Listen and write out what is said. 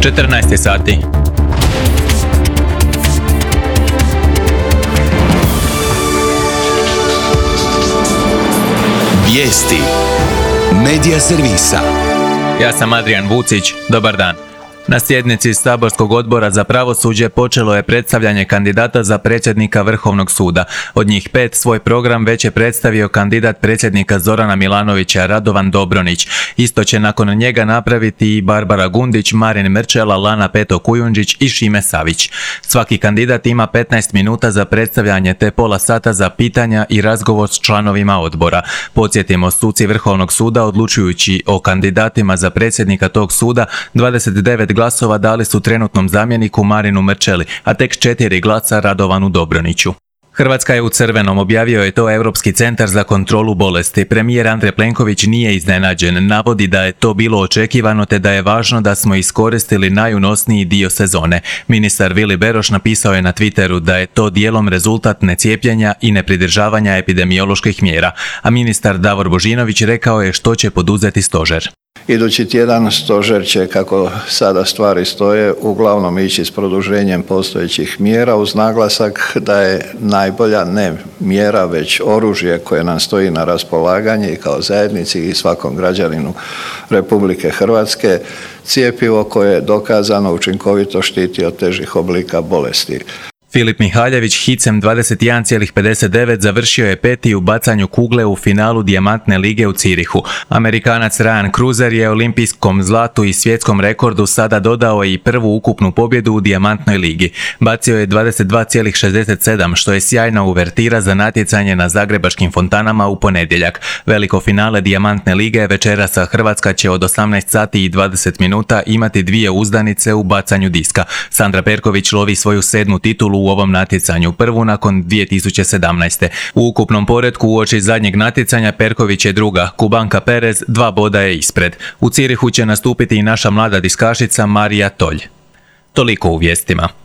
14 sati. Vijesti Medija servisa. Ja sam Adrian Vucić, dobar dan. Na sjednici Saborskog odbora za pravosuđe počelo je predstavljanje kandidata za predsjednika Vrhovnog suda. Od njih 5 svoj program već je predstavio kandidat predsjednika Zorana Milanovića Radovan Dobronić. Isto će nakon njega napraviti i Barbara Gundić, Marin Mrčela, Lana Peto Kujundžić i Šime Savić. Svaki kandidat ima 15 minuta za predstavljanje te pola sata za pitanja i razgovor s članovima odbora. Podsjetimo, suci Vrhovnog suda odlučujući o kandidatima za predsjednika tog suda 29 glasova dali su trenutnom zamjeniku Marinu Mrčeli, a tek 4 glasa Radovanu Dobroniću. Hrvatska je u crvenom, objavio je to Europski centar za kontrolu bolesti. Premijer Andrej Plenković nije iznenađen, navodi da je to bilo očekivano te da je važno da smo iskoristili najunosniji dio sezone. Ministar Vili Beroš napisao je na Twitteru da je to dijelom rezultat necijepljenja i nepridržavanja epidemioloških mjera, a ministar Davor Božinović rekao je što će poduzeti stožer. Idući tjedan stožer će, kako sada stvari stoje, uglavnom ići s produženjem postojećih mjera uz naglasak da je najbolja ne mjera već oružje koje nam stoji na raspolaganje i kao zajednici i svakom građaninu Republike Hrvatske cjepivo koje je dokazano učinkovito štiti od težih oblika bolesti. Filip Mihaljević hicem 21,59 završio je 5. u bacanju kugle u finalu Dijamantne lige u Cirihu. Amerikanac Ryan Cruiser je olimpijskom zlatu i svjetskom rekordu sada dodao i prvu ukupnu pobjedu u Dijamantnoj ligi. Bacio je 22,67, što je sjajna uvertira za natjecanje na zagrebačkim fontanama u ponedjeljak. Veliko finale Dijamantne lige večerasa Hrvatska će od 18 sati i 20 minuta imati 2 uzdanice u bacanju diska. Sandra Perković lovi svoju 7. titulu u ovom natjecanju, prvu nakon 2017. U ukupnom poretku uoči zadnjeg natjecanja Perković je druga, Kubanka Perez 2 boda je ispred. U Cirihu će nastupiti i naša mlada diskašica Marija Tolj. Toliko u vijestima.